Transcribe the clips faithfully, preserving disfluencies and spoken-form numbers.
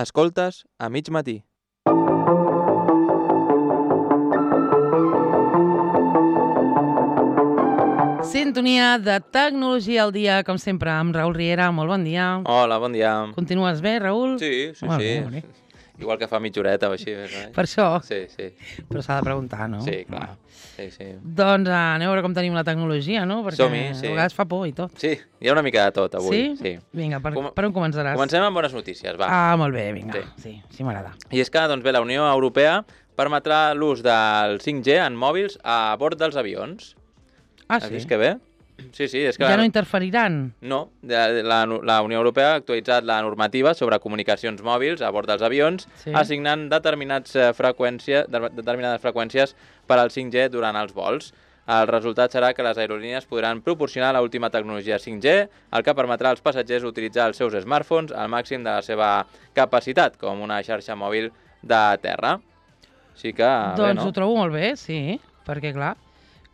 Escoltes a mig matí. Sintonia de Tecnologia al dia, com sempre, amb Raül Riera. Molt bon dia. Hola, bon dia. Continues bé, Raül? Sí, sí, Molt sí. bé, molt bé. Igual que fa mitja horeta o així. Per això? Sí, sí. Però s'ha de preguntar, no? Sí, clar. Sí, sí. Doncs uh, aneu a veure com tenim la tecnologia, no? Perquè Som-hi, sí. a vegades fa por i tot. Sí, hi ha una mica de tot avui. Sí? Sí. Vinga, per, Com... per on començaràs? Comencem amb bones notícies, va. Ah, molt bé, vinga. Sí, sí, sí m'agrada. I és que, doncs bé, la Unió Europea permetrà l'ús del cinc G en mòbils a bord dels avions. Ah, Has sí? vist que bé? Sí, sí, és que... Ja no interferiran? No, la, la, la Unió Europea ha actualitzat la normativa sobre comunicacions mòbils a bord dels avions, Sí. assignant determinats, eh, freqüència, de, determinades freqüències per al cinc G durant els vols. El resultat serà que les aerolínies podran proporcionar l'última tecnologia cinc G, el que permetrà als passatgers utilitzar els seus smartphones al màxim de la seva capacitat, com una xarxa mòbil de terra. Així que, doncs bé, no? ho trobo molt bé, sí, perquè clar,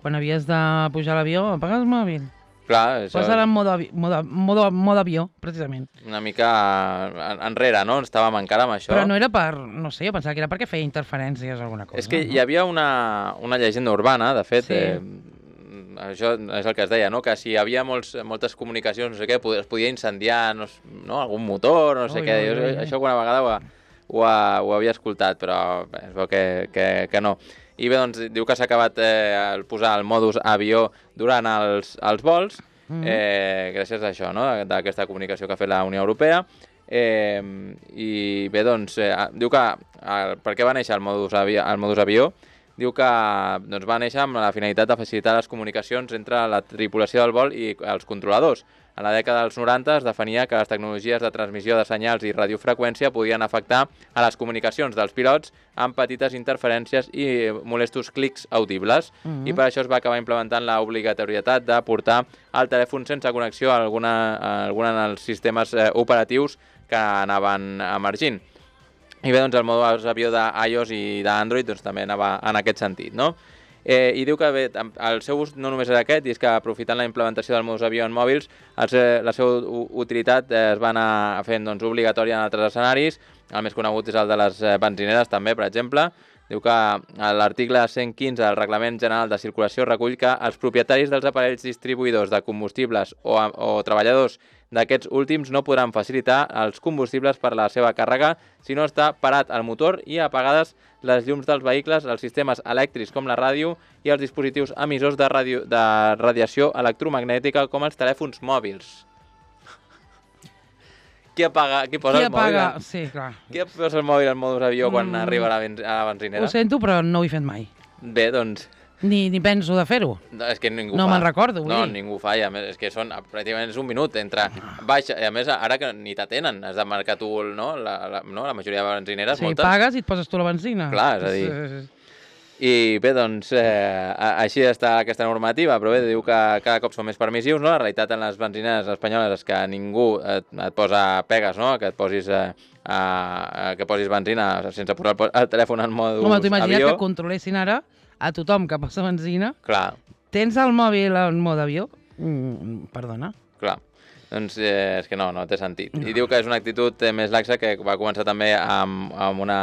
quan havies de pujar a l'avió, apaga el mòbil. Clar, això... Posa-la en modo, avi modo, modo, modo avió, precisament. Una mica enrere, no? Estàvem encara amb això. Però no era per, no sé, jo pensava que era perquè feia interferències o alguna cosa. És que no? hi havia una, una llegenda urbana, de fet, Sí. eh, això és el que es deia, no? Que si hi havia molts, moltes comunicacions, no sé què, es podia incendiar no, no, algun motor, no sé Ui, què. ui, Jo, ui, ui. això alguna vegada ho, ho, ho havia escoltat, però bé, es veu que, que, que no. I bé, doncs, diu que s'ha acabat eh, el posar el modus avió durant els, els vols, Mm. eh, gràcies a això, no? D'aquesta comunicació que ha fet la Unió Europea. Eh, I bé, doncs, eh, diu que el, per què va néixer el modus avió? El modus avió? Diu que doncs, va néixer amb la finalitat de facilitar les comunicacions entre la tripulació del vol i els controladors. A la dècada dels noranta es definia que les tecnologies de transmissió de senyals i radiofreqüència podien afectar a les comunicacions dels pilots amb petites interferències i molestos clics audibles. Mhm. I per això es va acabar implementant l'obligatorietat de portar el telèfon sense connexió a alguna, a alguna dels sistemes eh, operatius que anaven emergint. I bé, doncs el modus avió d'iOS i d'Android doncs, també anava en aquest sentit, no? Eh, I diu que bé, el seu ús no només era aquest, i és que aprofitant la implementació del modus avió en mòbils, el, la seva utilitat eh, es va anar fent doncs, obligatòria en altres escenaris. El més conegut és el de les eh, benzineres, també, per exemple. Diu que l'article cent quinze del Reglament General de Circulació recull que els propietaris dels aparells distribuïdors de combustibles o, o treballadors d'aquests últims no podran facilitar els combustibles per la seva càrrega si no està parat el motor i apagades les llums dels vehicles, els sistemes elèctrics com la ràdio i els dispositius emissors de, radio, de radiació electromagnètica com els telèfons mòbils. Qui apaga, qui posa Qui el mòbil? apaga? Sí, clar. Qui posa el mòbil al modus avió quan Mm. arriba a la, ben, a la benzinera? Ho sento, però no ho he fet mai. Bé, doncs... Ni, ni penso de fer-ho. No, és que ningú No fa. me'n recordo, vull no, dir. ningú fa, i a més, és que són, pràcticament és un minut entre baix, i a més, ara que ni t'atenen, has de marcar tu, el, no? La, la, no? La majoria de benzineres, Sí, moltes. pagues i et poses tu la benzina. Clar, és a dir- Sí, sí. I bé, doncs, eh, a- així està aquesta normativa, però bé, diu que cada cop són més permissius, no? La realitat en les benzineres espanyoles és que ningú et, et posa pegues, no? Que et posis, eh, a, que posis benzina sense posar el, el telèfon en modus Home, tu imagina't avió. que controlessin ara a tothom que posa benzina. Clar, Tens el mòbil en mode avió? Mm, perdona. clar. Doncs eh, és que no, no té sentit. I diu que és una actitud eh, més laxa que va començar també amb, amb una...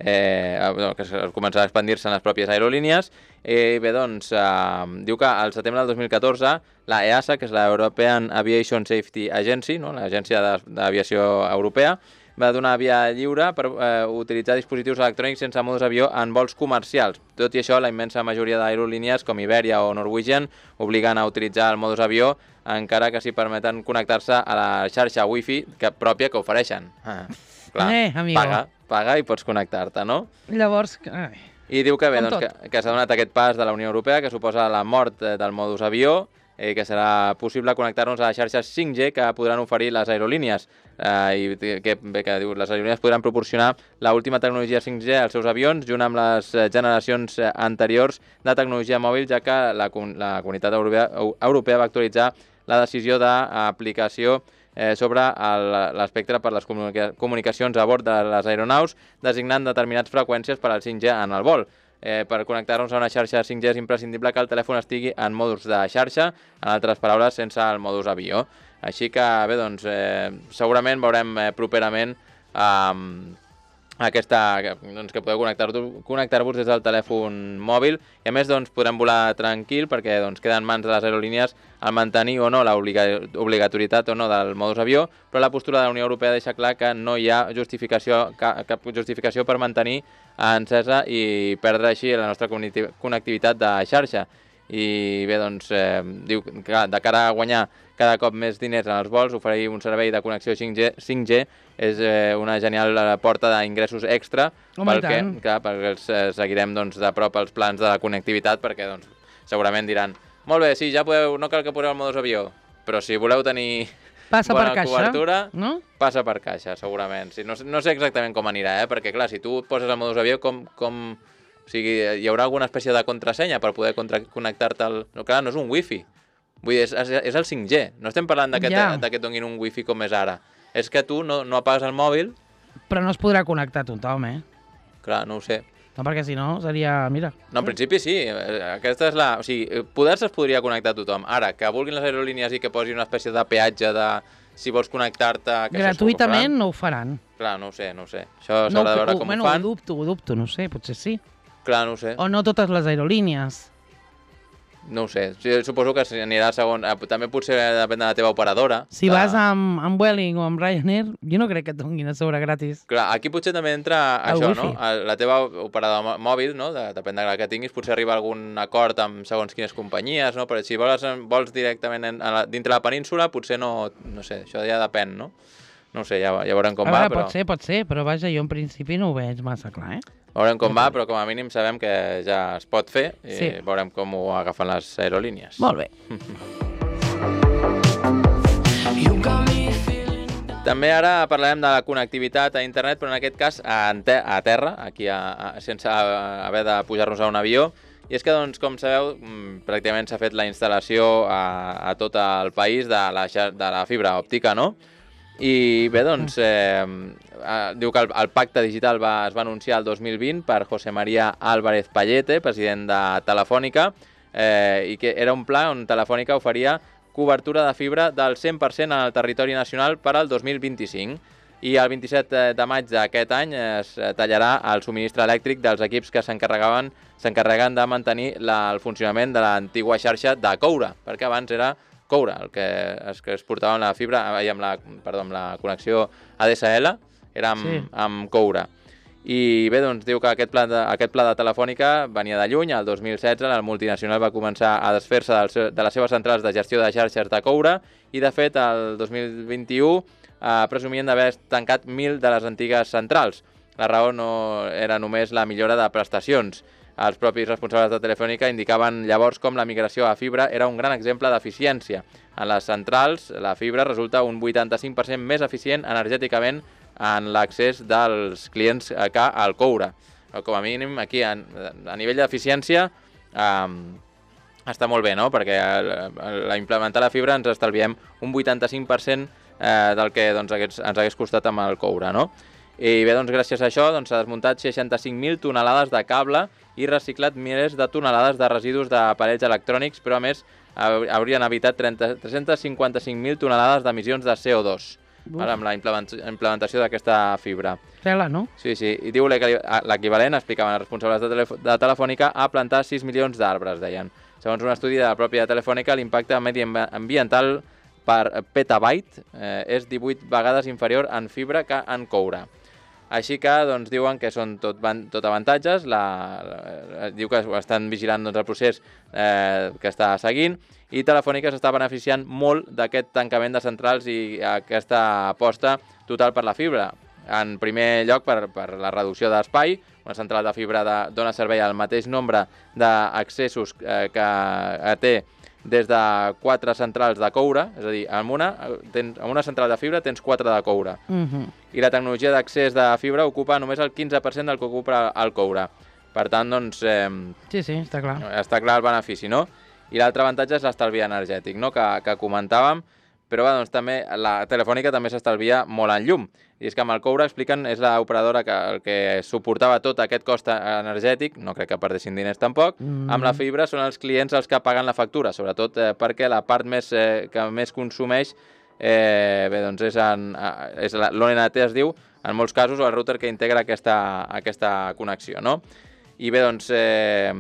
Eh, no, que es començarà a expandir-se en les pròpies aerolínies. I bé, doncs, eh, diu que al setembre del dos mil catorze la E A S A, que és la European Aviation Safety Agency, no? L'agència d'aviació europea, va donar via lliure per eh, utilitzar dispositius electrònics sense modus avió en vols comercials. Tot i això, la immensa majoria d'aerolínies, com Iberia o Norwegian, obliguen a utilitzar el modus avió encara que s'hi permeten connectar-se a la xarxa wifi que, pròpia que ofereixen. Ah, clar, Eh, amigo. paga, paga i pots connectar-te, no? Llavors, ai, I diu que bé, Com doncs, tot. que, que s'ha donat aquest pas de la Unió Europea, que suposa la mort eh, del modus avió, i que serà possible connectar-nos a les xarxes cinc G que podran oferir les aerolínies. Eh, I que, bé, que diu, les aerolínies podran proporcionar l'última tecnologia cinc G als seus avions, junt amb les eh, generacions eh, anteriors de tecnologia mòbil, ja que la, com- la Comunitat Europea, Europea va actualitzar la decisió d'aplicació eh, sobre el- l'espectre per les comunica comunicacions a bord de les aeronaus, designant determinades freqüències per al cinc G en el vol. Eh, per connectar-nos a una xarxa cinc G és imprescindible que el telèfon estigui en modus de xarxa, en altres paraules, sense el modus avió. Així que, bé, doncs, eh, segurament veurem eh, properament um, aquesta, doncs, que podeu connectar-vos connectar des del telèfon mòbil i a més doncs, podrem volar tranquil perquè doncs, queda en mans de les aerolínies el mantenir o no l'obligatorietat o no del modus avió, però la postura de la Unió Europea deixa clar que no hi ha justificació, cap, cap justificació per mantenir encesa i perdre així la nostra connectivitat de xarxa. I bé, doncs, eh, diu que de cara a guanyar cada cop més diners en els vols, oferir un servei de connexió cinc G, cinc G és eh, una genial porta d'ingressos extra perquè, clar, perquè els, eh, seguirem doncs, de prop els plans de la connectivitat perquè doncs, segurament diran molt bé, sí, ja podeu, no cal que poseu el modus avió, però si voleu tenir passa bona per caixa, cobertura, no? Passa per caixa, segurament. Sí, no, no sé exactament com anirà, eh? Perquè clar, si tu poses el modus avió, com... com... O sigui, hi haurà alguna espècie de contrasenya per poder connectar-te al... No, clar, no és un wifi. Vull dir, és, és el cinc G. No estem parlant que yeah. et donin un wifi com és ara. És que tu no, no apagues el mòbil... Però no es podrà connectar tothom, eh? Clar, no ho sé. No, perquè si no seria... Mira. No, en principi sí. Aquesta és la... O sigui, poder-se es podria connectar tothom. Ara, que vulguin les aerolínies i que posi una espècie de peatge de... Si vols connectar-te... Gratuïtament no ho faran. Clar, no ho sé, no ho sé. Això s'haurà de veure com bueno, ho fan. Ho dubto, ho dubto, no sé, potser sí. Clar, no ho sé. O no totes les aerolínies. No ho sé. Suposo que anirà segon... També potser depèn de la teva operadora. Si que... vas amb, amb Vueling o amb Ryanair, jo no crec que et donin a sobre gratis. Clar, aquí potser també entra el això, wifi. No? La teva operadora mòbil, no? De, depèn de la que tinguis, potser arriba a algun acord amb segons quines companyies, no? Però si vols, vols directament en, en la, dintre la península, potser no... No sé, això ja depèn, no? No sé, ja, ja veurem com a veure, va, però... Pot ser, pot ser, però vaja, jo en principi no ho veig massa clar, eh? Veurem com va, però com a mínim sabem que ja es pot fer i sí. Veurem com ho agafen les aerolínies. Molt bé. També ara parlarem de la connectivitat a internet, però en aquest cas a, te a terra, aquí a, a, sense haver de pujar-nos a un avió. I és que, doncs, com sabeu, pràcticament s'ha fet la instal·lació a, a tot el país de la, de la fibra òptica, no? I bé, doncs, eh, eh, diu que el, el pacte digital va, es va anunciar el dos mil vint per José María Álvarez Pallete, president de Telefònica, eh, i que era un pla on Telefònica oferia cobertura de fibra del cent per cent en el territori nacional per al dos mil vint-i-cinc. I el vint-i-set de maig d'aquest any es tallarà el subministre elèctric dels equips que s'encarregaven s'encarreguen de mantenir la, el funcionament de l'antigua xarxa de coure, perquè abans era coure, el que es, que es portava amb la fibra, amb la, perdó, amb la connexió A D S L, era amb, sí. amb coure. I bé, doncs diu que aquest pla, de, aquest pla de Telefònica venia de lluny. El dos mil setze la multinacional va començar a desfer-se de les seves centrals de gestió de xarxes de coure i, de fet, el dos mil vint-i-u eh, presumien d'haver tancat mil de les antigues centrals. La raó no era només la millora de prestacions. Els propis responsables de Telefònica indicaven llavors com la migració a fibra era un gran exemple d'eficiència. En les centrals, la fibra resulta un vuitanta-cinc per cent més eficient energèticament en l'accés dels clients que al coure. Com a mínim, aquí, a, a nivell d'eficiència, eh, està molt bé, no? Perquè a implementar la fibra ens estalviem un vuitanta-cinc per cent eh, del que doncs, ens hagués costat amb el coure, no? I bé, doncs, gràcies a això s'ha doncs, desmuntat seixanta-cinc mil tonelades de cable i reciclat milers de tonelades de residus d'aparells electrònics, però a més haurien evitat tres-cents cinquanta-cinc mil tonelades d'emissions de C O dos ara, amb la implementació d'aquesta fibra. Tela, no? Sí, sí. I diu l'equivalent, explicaven els responsables de, de Telefònica, a plantar sis milions d'arbres, deien. Segons un estudi de la pròpia Telefònica, l'impacte mediambiental per petabyte eh, és divuit vegades inferior en fibra que en coure. Així que doncs, diuen que són tot, tot avantatges, la, la, diu que estan vigilant doncs, el procés eh, que està seguint i Telefònica s'està beneficiant molt d'aquest tancament de centrals i aquesta aposta total per la fibra. En primer lloc, per, per la reducció d'espai, una central de fibra de, dona servei al mateix nombre d'accessos eh, que té des de quatre centrals de coure, és a dir, en una, tens, en una central de fibra tens quatre de coure. Uh-huh. I la tecnologia d'accés de fibra ocupa només el quinze per cent del que ocupa el coure. Per tant, doncs... Eh, sí, sí, està clar. Està clar el benefici, no? I l'altre avantatge és l'estalvi energètic, no? Que, que comentàvem, però bé, doncs, també la Telefònica també s'estalvia molt en llum. I és que amb el coure, expliquen, és l'operadora que, el que suportava tot aquest cost energètic, no crec que perdessin diners tampoc, mm. amb la fibra són els clients els que paguen la factura, sobretot eh, perquè la part més, eh, que més consumeix eh, bé, doncs és, en, és l'O N T es diu, en molts casos, o el router que integra aquesta, aquesta connexió, no? I bé, doncs, eh,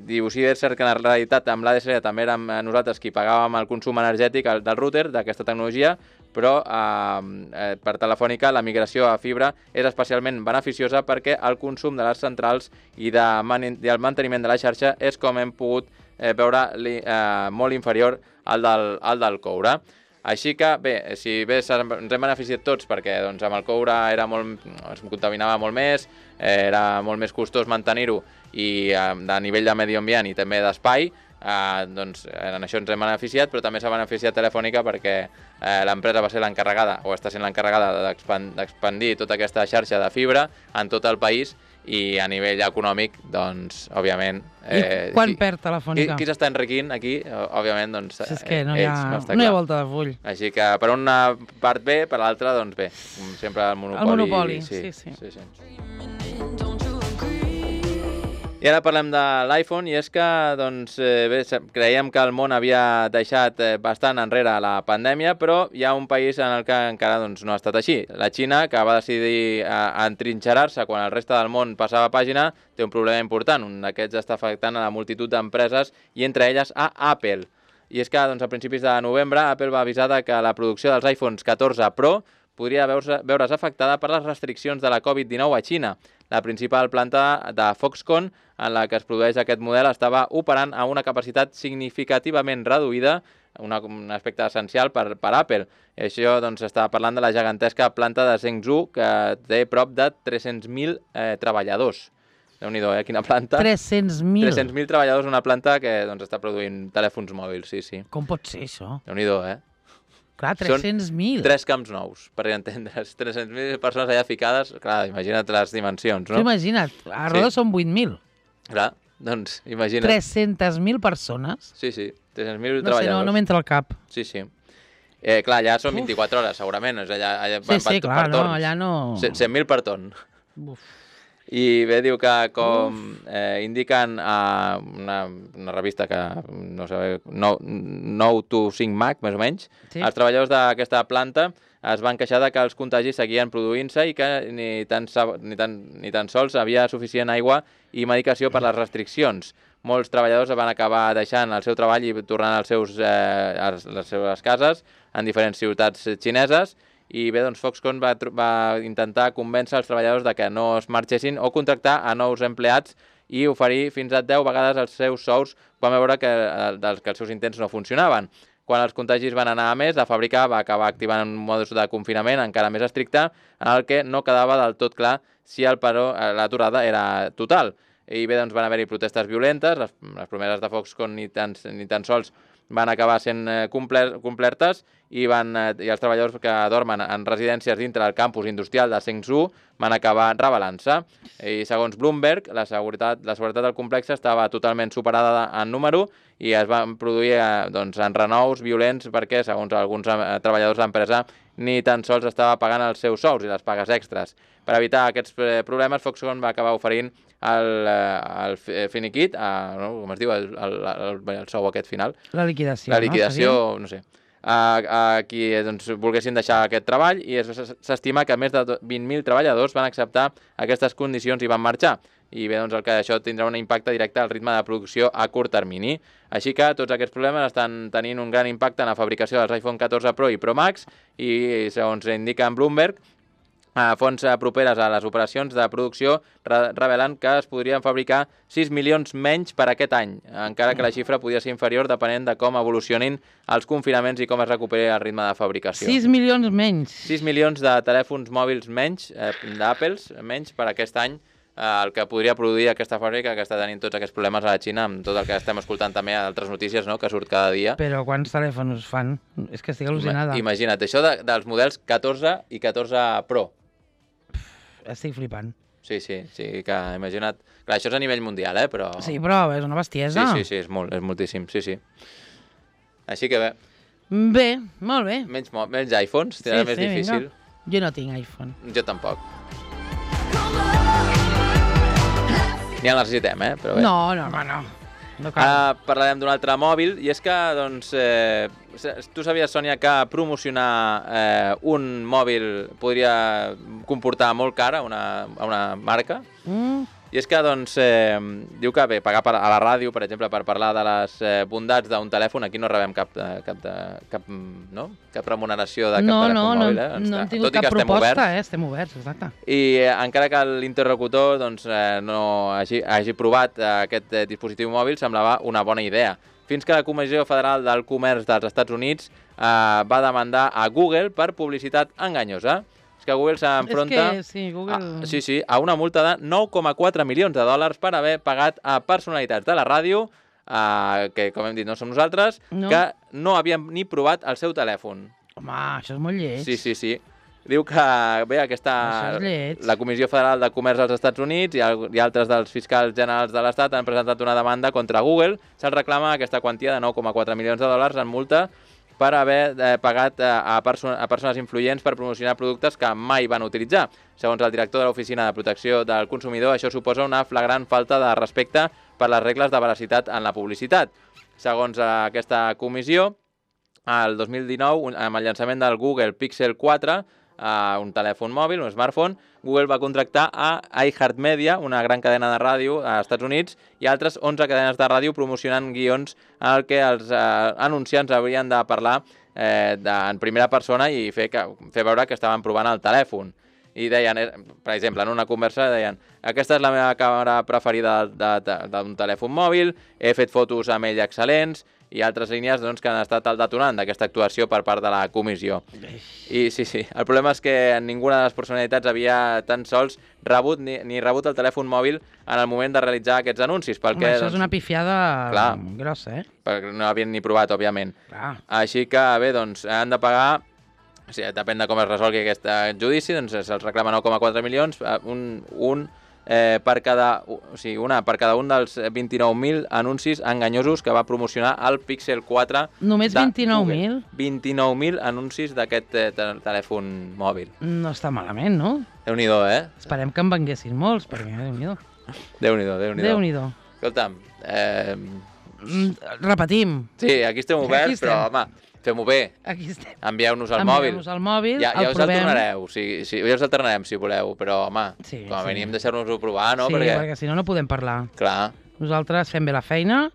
diu, sí, és cert que en la realitat amb l'A D S L també érem nosaltres qui pagàvem el consum energètic del router, d'aquesta tecnologia, però eh, per Telefònica la migració a fibra és especialment beneficiosa perquè el consum de les centrals i, de man i el manteniment de la xarxa és, com hem pogut eh, veure, li, eh, molt inferior al del, al del coure. Així que, bé, si bé ens hem beneficiat tots perquè doncs, amb el coure era molt, es contaminava molt més, eh, era molt més costós mantenir-ho i eh, de nivell de medi ambient i també d'espai, eh, doncs en això ens hem beneficiat, però també s'ha beneficiat Telefònica perquè eh, l'empresa va ser l'encarregada, o està sent l'encarregada d'expandir tota aquesta xarxa de fibra en tot el país, i a nivell econòmic, doncs, òbviament... Eh, I quan qui, perd Telefònica? Qui, qui s'està enriquint aquí, òbviament, doncs, si és que no hi ha, ells, no, no hi ha volta de full. Així que per una part bé, per l'altra, doncs bé, sempre el monopoli... El monopoli, sí, sí, sí. sí, sí. I ara parlem de l'iPhone, i és que doncs, bé, creiem que el món havia deixat bastant enrere la pandèmia, però hi ha un país en el que encara doncs, no ha estat així. La Xina, que va decidir entrinxerar-se quan el reste del món passava pàgina, té un problema important. Un d'aquests està afectant a la multitud d'empreses i entre elles a Apple. I és que doncs, a principis de novembre Apple va avisar que la producció dels iPhones catorze Pro podria veure's, veure's afectada per les restriccions de la covid dinou a Xina. La principal planta de Foxconn, en la que es produeix aquest model, estava operant a una capacitat significativament reduïda, una, un aspecte essencial per, per Apple. I això doncs, està parlant de la gegantesca planta de Zhengzhou, que té prop de tres-cents mil eh, treballadors. Déu-n'hi-do, eh? Quina planta. tres-cents mil. tres-cents mil treballadors, una planta que doncs, està produint telèfons mòbils, sí, sí. Com pot ser, això? Déu-n'hi-do, eh? Clar, tres-cents mil. Són tres camps nous, per entendre's. tres-cents mil persones allà ficades, clar, imagina't les dimensions, no? Sí, imagina't, a Roda sí. Són vuit mil. Clar, doncs, imagina't. tres-cents mil persones? Sí, sí, tres-cents mil no treballadors. Sé, no, no m'entra al cap. Sí, sí. Eh, clar, allà són vint-i-quatre hores, segurament. Allà, allà, sí, sí, per, clar, per no, allà no... cent mil per torn. Uf. I bé, diu que com eh, indiquen a una, una revista que no sé, nou to cinc Mac, més o menys, sí. Els treballadors d'aquesta planta es van queixar de que els contagis seguien produint-se i que ni tan, ni, tan, ni tan sols havia suficient aigua i medicació per les restriccions. Molts treballadors van acabar deixant el seu treball i tornant als seus, eh, a les seves cases en diferents ciutats xineses. I bé, doncs Foxconn va, va intentar convèncer els treballadors de que no es marxessin o contractar a nous empleats i oferir fins a deu vegades els seus sous quan va veure que, que els seus intents no funcionaven. Quan els contagis van anar a més, la fàbrica va acabar activant un modus de confinament encara més estricte, en el que no quedava del tot clar si el paró, l'aturada era total. I bé, doncs van haver-hi protestes violentes, les, les promeses de Foxconn ni tan, ni tan sols van acabar sent complertes i, van, i els treballadors que dormen en residències dintre del campus industrial de Zhengzhou van acabar rebel·lant-se. I segons Bloomberg, la seguretat, la seguretat del complex estava totalment superada en número i es van produir doncs, enrenous violents perquè, segons alguns treballadors de l'empresa, ni tan sols estava pagant els seus sous i les pagues extres. Per evitar aquests problemes, Foxconn va acabar oferint el, el finiquit, a, no, com es diu, el, el, el, el sou aquest final. La liquidació, La liquidació, no, no sé. A, a qui doncs, volguessin deixar aquest treball i s'estima que més de vint mil treballadors van acceptar aquestes condicions i van marxar. I bé, doncs el que això tindrà un impacte directe al ritme de producció a curt termini. Així que tots aquests problemes estan tenint un gran impacte en la fabricació dels iPhone catorze Pro i Pro Max i, segons indica en Bloomberg, a fonts properes a les operacions de producció revelen que es podrien fabricar sis milions menys per aquest any, encara que la xifra podria ser inferior depenent de com evolucionin els confinaments i com es recuperi el ritme de fabricació. sis milions menys. sis milions de telèfons mòbils menys, eh, d'Apples, menys per aquest any, eh, el que podria produir aquesta fàbrica que està tenint tots aquests problemes a la Xina, amb tot el que estem escoltant també a altres notícies, no?, que surt cada dia. Però quants telèfons fan? És que estic al·lucinada. Imagina't, això de, dels models catorze i catorze Pro. Estic flipant. Sí, sí, sí, que imagina't... Clar, això és a nivell mundial, eh, però... Sí, però és una bestiesa. Sí, sí, sí, és molt, és moltíssim, sí, sí. Així que bé. Bé, molt bé. Menys, menys iPhones, serà sí, més sí, difícil. Vinga. Jo no tinc iPhone. Jo tampoc. Ni el necessitem, eh, però bé. No, no, no, no. no cal. Ara parlarem d'un altre mòbil, i és que, doncs, eh, tu sabies, Sònia, que promocionar eh, un mòbil podria comportar molt car a una, a una marca? Mm. I és que, doncs, eh, diu que bé, pagar per, a la ràdio, per exemple, per parlar de les eh, bondats d'un telèfon, aquí no rebem cap, de, cap, de, cap, no? cap remuneració de cap no, telèfon no, mòbil. No, Eh? no, no hem tingut Tot i cap que estem proposta, oberts, eh? Estem oberts, exacte. I eh, encara que l'interlocutor doncs, eh, no hagi, hagi provat eh, aquest eh, dispositiu mòbil, semblava una bona idea. Fins que la Comissió Federal del Comerç dels Estats Units eh, va demandar a Google per publicitat enganyosa. És que Google s'enfronta És que, sí, Google... a, sí, sí, a una multa de nou coma quatre milions de dòlars per haver pagat a personalitats de la ràdio, eh, que, com hem dit, no som nosaltres, No. que no havien ni provat el seu telèfon. Home, això és molt lleig. Sí, sí, sí. Diu que, bé, aquesta, Això és lleig. la Comissió Federal de Comerç dels Estats Units i, el, i altres dels fiscals generals de l'Estat han presentat una demanda contra Google. Se'ls reclama aquesta quantia de nou coma quatre milions de dòlars en multa per haver eh, pagat eh, a, perso a persones influents per promocionar productes que mai van utilitzar. Segons el director de l'Oficina de Protecció del Consumidor, això suposa una flagrant falta de respecte per les regles de veracitat en la publicitat. Segons eh, aquesta comissió, el dos mil dinou, amb el llançament del Google Pixel quatre, uh, un telèfon mòbil, un smartphone, Google va contractar a iHeartMedia, una gran cadena de ràdio als Estats Units, i altres onze cadenes de ràdio promocionant guions en el que els uh, anunciants haurien de parlar eh, de, en primera persona i fer, que, fer veure que estaven provant el telèfon. I deien, per exemple, en una conversa deien: aquesta és la meva càmera preferida d'un telèfon mòbil, he fet fotos amb ell excel·lents, i altres línies doncs, que han estat el detonant d'aquesta actuació per part de la comissió. I sí, sí, el problema és que ninguna de les personalitats havia tan sols rebut ni, ni rebut el telèfon mòbil en el moment de realitzar aquests anuncis. Perquè, Home, això doncs, és una pifiada clar, grossa, eh? perquè no havien ni provat, òbviament. Clar. Així que, bé, doncs, han de pagar, o sigui, depèn de com es resolgui aquest judici, doncs se'ls reclama nou coma quatre milions, un, un eh, per cada, o sigui, una per cada un dels vint-i-nou mil anuncis enganyosos que va promocionar el Pixel quatre. Només vint-i-nou mil? vint-i-nou mil anuncis d'aquest eh, telèfon mòbil. No està malament, no? Déu-n'hi-do, eh? Esperem que en venguessin molts, perquè Déu-n'hi-do. Déu-n'hi-do, Déu-n'hi-do. Déu-n'hi-do. Escolta'm, eh... Mm, repetim. sí, aquí estem oberts, Aquí estem. però, home, fem-ho bé. Aquí estem. Envieu-nos al mòbil. Envieu-nos al mòbil, ja, ja el us el provem. tornareu, o sigui, sí, ja us el tornarem si voleu, però, home, Sí, com a sí. mínim deixar-nos-ho provar, no? Sí, perquè, perquè si no, no podem parlar. clar, Nosaltres fem bé la feina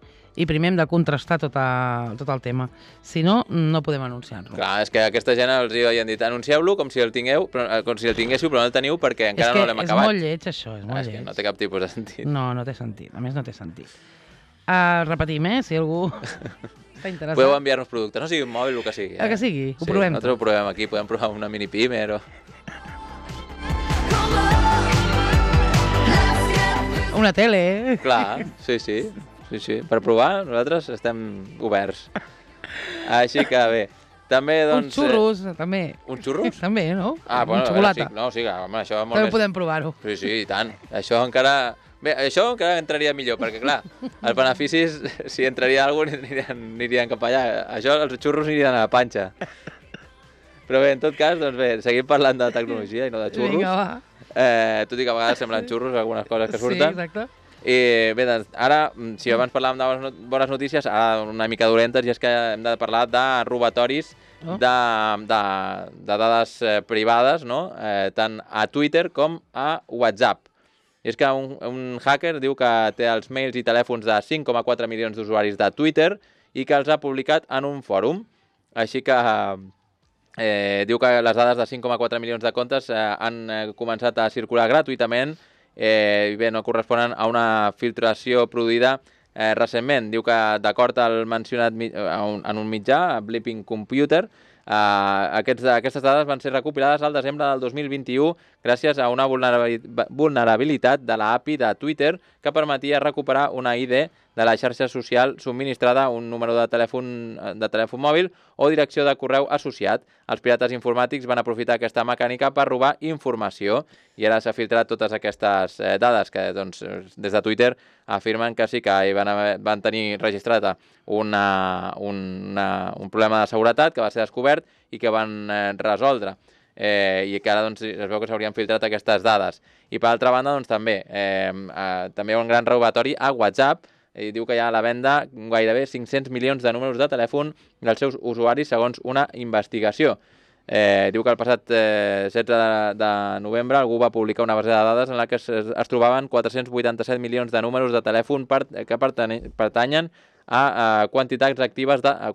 i primer hem de contrastar tot, a, tot el tema. Si no, no podem anunciar-lo. clar, és que aquesta gent els hi havien dit anuncieu-lo com si el tingueu, però, eh, com si el tinguéssiu, però no el teniu perquè encara és que no l'hem és acabat. molt lleig, això, és Ah, molt és que lleig. no té cap tipus de sentit. No, no té sentit. A més, no té sentit. Uh, repetim, eh? Si algú està interessat. Podeu enviar-nos productes, no sigui un mòbil, el que sigui. Eh? El que sigui, ho sí, provem nosaltres tot. ho provem aquí, podem provar una mini pimer o... Una tele, eh? Clar, sí, sí, sí, sí. Per provar, nosaltres estem oberts. Així que bé, també, doncs... Uns xurros, eh... també. Eh, uns xurros? També, no? Ah, bueno, Amb a veure, xocolata. sí, no, sí, home, això molt També més... podem provar-ho. Sí, sí, i tant. Això encara... Bé, això encara entraria millor, perquè, clar, els beneficis, si entraria alguna cosa, anirien, anirien cap allà. Això, els xurros anirien a la panxa. Però bé, en tot cas, doncs bé, seguim parlant de tecnologia i no de xurros. Vinga, va. Eh, tot i que a vegades semblen xurros algunes coses que surten. Sí, exacte. I bé, doncs, ara, si abans parlàvem de bones, bones notícies, ara una mica dolentes, i és que hem de parlar de robatoris Oh. de, de, de dades eh, privades, no? Eh, tant a Twitter com a WhatsApp. I és que un, un hacker diu que té els mails i telèfons de cinc coma quatre milions d'usuaris de Twitter i que els ha publicat en un fòrum. Així que eh, diu que les dades de cinc coma quatre milions de comptes eh, han eh, començat a circular gratuïtament eh, i bé, no corresponen a una filtració produïda eh, recentment. Diu que, d'acord al mencionat mi un, en un mitjà, a Bleeping Computer, Uh, aquests, aquestes dades van ser recopilades al desembre del dos mil vint-i-u gràcies a una vulnerabilitat de la A P I de Twitter que permetia recuperar una I D de la xarxa social subministrada, un número de telèfon, de telèfon mòbil o direcció de correu associat. Els pirates informàtics van aprofitar aquesta mecànica per robar informació i ara s'ha filtrat totes aquestes eh, dades que doncs, des de Twitter afirmen que sí que hi van, haver, van tenir registrat una, una, un problema de seguretat que va ser descobert i que van eh, resoldre. Eh, i que ara doncs, es veu que s'haurien filtrat aquestes dades. I per altra banda, doncs, també, eh, eh, també hi ha un gran robatori a WhatsApp i diu que hi ha a la venda gairebé cinc-cents milions de números de telèfon dels seus usuaris segons una investigació. Eh, diu que el passat eh, setze de, de novembre algú va publicar una base de dades en la que es, es trobaven quatre-cents vuitanta-set milions de números de telèfon per, que pertanyen a, a quantitats actives de, a,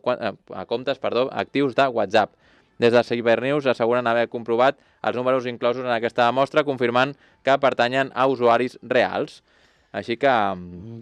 a comptes perdó, actius de WhatsApp. Des de Cybernews asseguren haver comprovat els números inclosos en aquesta mostra, confirmant que pertanyen a usuaris reals. Així que...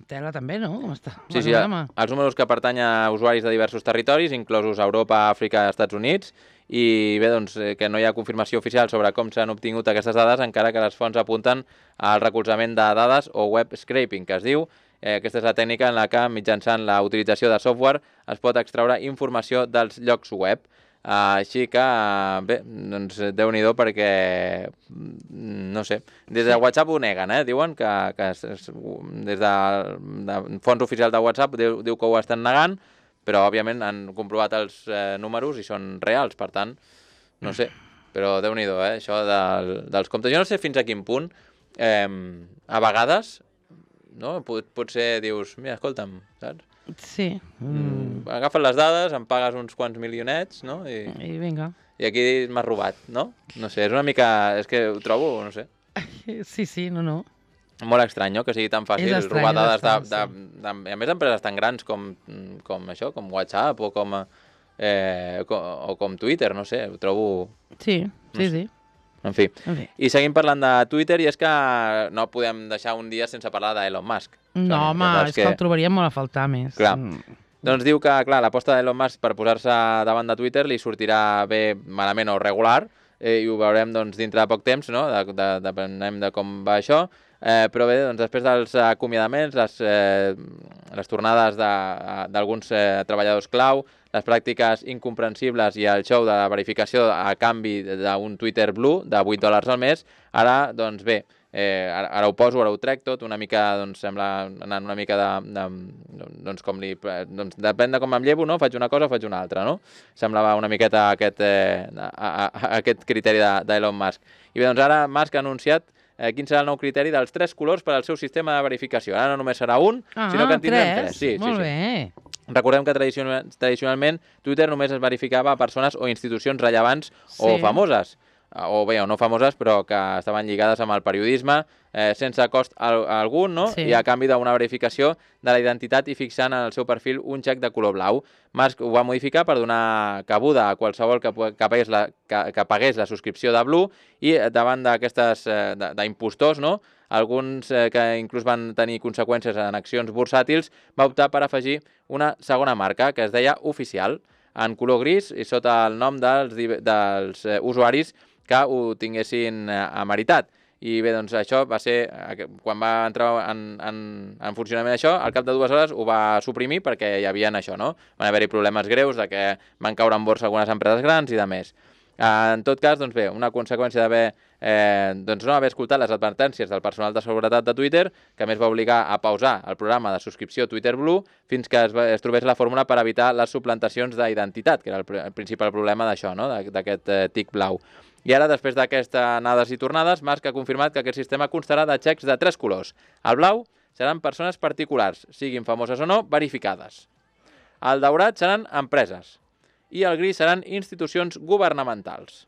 Tela també, no? Està sí, sí, els números que pertanyen a usuaris de diversos territoris, inclosos Europa, Àfrica i Estats Units, i bé, doncs, que no hi ha confirmació oficial sobre com s'han obtingut aquestes dades, encara que les fonts apunten al recolzament de dades o web scraping, que es diu. Eh, aquesta és la tècnica en la que, mitjançant la utilització de software, es pot extraure informació dels llocs web. Uh, així que, bé, doncs Déu-n'hi-do perquè, no sé, des de WhatsApp ho neguen, eh? Diuen que, que es, es, des de, de fons oficials de WhatsApp diu, diu que ho estan negant, però òbviament han comprovat els eh, números i són reals, per tant, no sé, però Déu-n'hi-do, eh? Això del, dels comptes. Jo no sé fins a quin punt, eh, a vegades, no? Pot, potser dius, mira, escolta'm, saps? Sí. Mm. Agafes les dades, em pagues uns quants milionets, no? I, I vinga. I aquí m'has robat, no? No sé, és una mica... És que ho trobo, no sé. Sí, sí, no, no. Molt estrany, no?, que sigui tan fàcil estrany, robar dades de, de, sí. de, de, a més empreses tan grans com, com això, com WhatsApp o com, eh, com, o com Twitter, no sé, ho trobo... Sí, sí, no sé. Sí. En fi. en fi. I seguim parlant de Twitter, i és que no podem deixar un dia sense parlar d'Elon Musk. No, home, és que... que el trobaríem molt a faltar més. Clar. Mm. Doncs diu que, clar, l'aposta d'Elon Musk per posar-se davant de Twitter li sortirà bé, malament o regular, eh, i ho veurem doncs, dintre de poc temps, no? De, de, depenem de com va això. Eh, però bé, doncs, després dels acomiadaments, les, eh, les tornades d'alguns eh, treballadors clau, les pràctiques incomprensibles i el show de la verificació a canvi d'un Twitter Blue de vuit dòlars al mes, ara, doncs bé, eh, ara, ara ho poso, ara ho trec tot, una mica, doncs, sembla anar una mica de... de doncs, com li... Doncs, depèn de com em llevo, no? Faig una cosa o faig una altra, no? Semblava una miqueta aquest, eh, a, a, a, aquest criteri d'Elon Musk. I bé, doncs ara Musk ha anunciat Eh, quin serà el nou criteri dels tres colors per al seu sistema de verificació. Ara no només serà un, ah, sinó que en tindrem tres. tres. Sí, Molt sí, bé. Sí. Recordem que tradicional, tradicionalment Twitter només es verificava a persones o institucions rellevants sí. o famoses, o bé, o no famoses, però que estaven lligades amb el periodisme, eh, sense cost al, algun, no? Sí. I a canvi d'una verificació de la identitat i fixant en el seu perfil un xec de color blau. Musk ho va modificar per donar cabuda a qualsevol que, que, pagués, la, que, que pagués la subscripció de Blue, i davant d'aquestes eh, d'impostors, no?, alguns eh, que inclús van tenir conseqüències en accions bursàtils, va optar per afegir una segona marca que es deia Oficial, en color gris i sota el nom dels, dels eh, usuaris que ho tinguessin eh, ameritat. I bé, doncs això va ser, quan va entrar en, en, en funcionament això, al cap de dues hores ho va suprimir perquè hi havia això, no? Van haver-hi problemes greus de que van caure en borsa algunes empreses grans i de més. En tot cas, doncs bé, una conseqüència d'haver eh, doncs no haver escoltat les advertències del personal de seguretat de Twitter, que a més va obligar a pausar el programa de subscripció Twitter Blue fins que es, va, es trobés la fórmula per evitar les suplantacions d'identitat, que era el, el principal problema d'això, no?, d'aquest eh, tic blau. I ara, després d'aquestes anades i tornades, Musk ha confirmat que aquest sistema constarà de xecs de tres colors. El blau seran persones particulars, siguin famoses o no, verificades. El daurat seran empreses. I el gris seran institucions governamentals.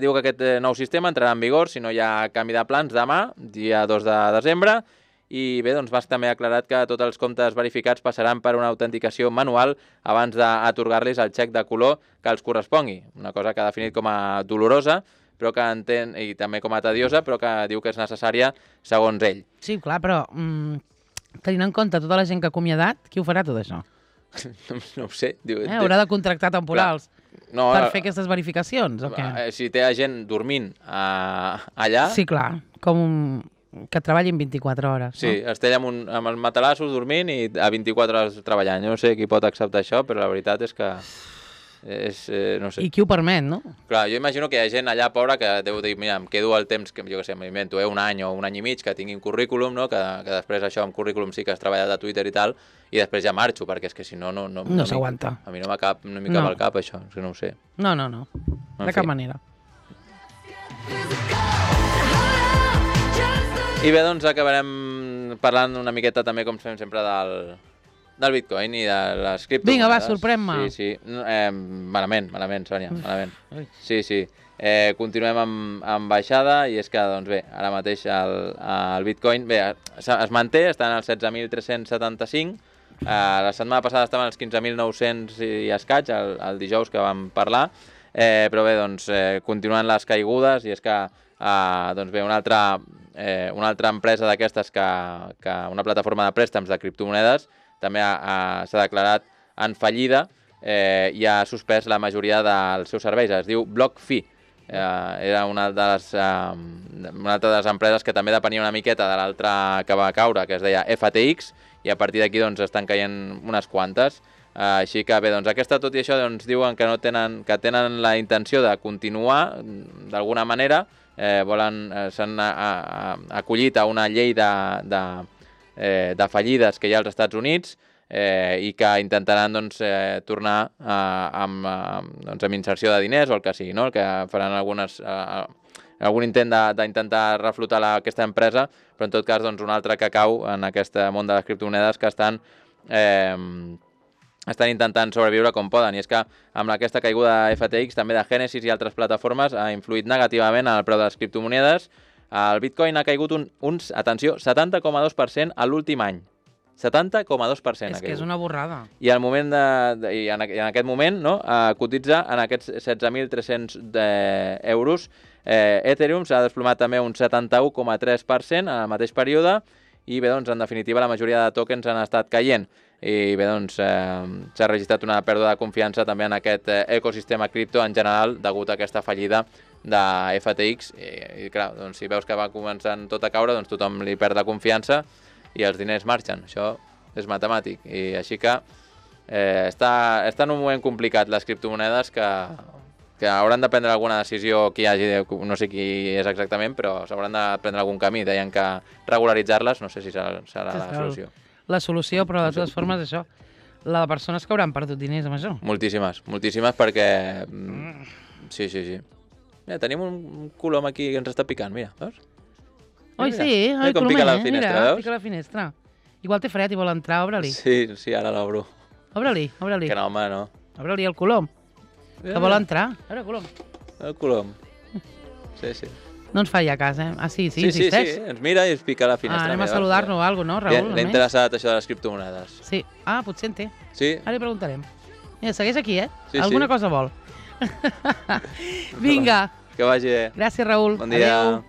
Diu que aquest nou sistema entrarà en vigor si no hi ha canvi de plans demà, dia dos de desembre, i bé, doncs Musk també ha aclarat que tots els comptes verificats passaran per una autenticació manual abans d'atorgar-los el xec de color que els correspongui, una cosa que ha definit com a dolorosa, però que entén, i també com a tediosa, però que diu que és necessària segons ell. Sí, clar, però mm, tenint en compte tota la gent que ha acomiadat, qui ho farà tot això? no, no ho sé. Diu, eh, haurà de contractar temporals no, per fer aquestes verificacions, o què? Si té gent dormint uh, allà... Sí, clar, com un... que treballin vint-i-quatre hores. Sí, no? es té amb, un, amb els matalassos dormint i a vint-i-quatre hores treballant. Jo no sé qui pot acceptar això, però la veritat és que... És, eh, no sé. I qui ho permet, no? Clar, jo imagino que hi ha gent allà pobra que deu dir, mira, em quedo el temps, que jo què sé, m'invento, eh, un any o un any i mig, que tingui un currículum, no? que, que després això amb currículum sí que has treballat a Twitter i tal, i després ja marxo, perquè és que si no... No, no, no s'aguanta. A mi no m'hi cap, no cap no. al cap, això, és que no ho sé. No, no, no, de cap manera. I bé, doncs acabarem parlant una miqueta també, com fem sempre, del, del Bitcoin i de les criptomonedes. Vinga, va, sorprèn-me. Sí, sí. Eh, malament, malament, Sònia, malament. Ui. Sí, sí. Eh, continuem amb, amb baixada i és que, doncs bé, ara mateix el, el Bitcoin bé, es, es manté, està en els setze mil tres-cents setanta-cinc. Eh, la setmana passada estava en els quinze mil nou-cents i escaig, el, el dijous que vam parlar. Eh, però bé, doncs, eh, continuen les caigudes i és que eh, doncs bé, una altra, eh, una altra empresa d'aquestes, que, que una plataforma de préstecs de criptomonedes, també s'ha declarat en fallida eh, i ha suspès la majoria dels seus serveis. Es diu BlockFi. Eh, era una de, les, eh, una altra de les empreses que també depenia una miqueta de l'altra que va caure, que es deia F T X, i a partir d'aquí doncs, estan caient unes quantes. Uh, així que bé, doncs aquesta, tot i això, doncs, diuen que no tenen, que tenen la intenció de continuar d'alguna manera, eh, volen, eh, s'han acollit a una llei de, de, eh, de fallides que hi ha als Estats Units eh, i que intentaran doncs, eh, tornar eh, amb, eh, doncs, amb inserció de diners o el que sigui, no? El que faran algunes, eh, algun intent d'intentar reflotar la, aquesta empresa, però en tot cas doncs, un altre que cau en aquest món de les criptomonedes que estan eh, estan intentant sobreviure com poden, i és que amb aquesta caiguda de F T X, també de Genesis i altres plataformes, ha influït negativament en el preu de les criptomonedes. El Bitcoin ha caigut un, uns, atenció, setanta coma dos per cent a l'últim any. setanta coma dos per cent. És que és una borrada. I, al moment de, de, i en, en aquest moment no, eh, cotitza en aquests setze mil tres-cents euros. Eh, Ethereum s'ha desplomat també un setanta-u coma tres per cent en el mateix període i bé, doncs, en definitiva, la majoria de tokens han estat caient. I bé, doncs, eh, s'ha registrat una pèrdua de confiança també en aquest eh, ecosistema cripto en general degut a aquesta fallida de F T X. I, i clar, doncs, si veus que va començant tot a caure, doncs tothom li perd la confiança i els diners marxen. Això és matemàtic. I així que eh, està, està en un moment complicat les criptomonedes que, que hauran de prendre alguna decisió, qui hagi, no sé qui és exactament, però s'hauran de prendre algun camí. Deien que regularitzar-les, no sé si serà, serà la solució. La solució, però de totes formes això, la de persones que hauran perdut diners amb això. Moltíssimes, moltíssimes perquè... Sí, sí, sí. Mira, tenim un colom aquí que ens està picant, mira, veus? Oi, sí, el colomer, pica la finestra, mira, veus? pica la finestra. Igual té fred i vol entrar, obre-li. Sí, sí, ara l'obro. Obre-li, obre-li. Que no, home, no. Obre-li el colom, que vol entrar. Obre, colom. El colom. Sí, sí. No ens faria cas, eh? Ah, sí, sí, sí, insisteix. Sí, sí, ens mira i ens pica la finestra. Ah, anem a saludar-lo o alguna cosa, no, Raül? L'he interessat això de les criptomonedes. Sí. Ah, potser en té. Sí. Ara li preguntarem. Mira, segueix aquí, eh? Sí, alguna sí. cosa vol. Vinga. Que vagi bé. Gràcies, Raül. Bon dia. Adéu.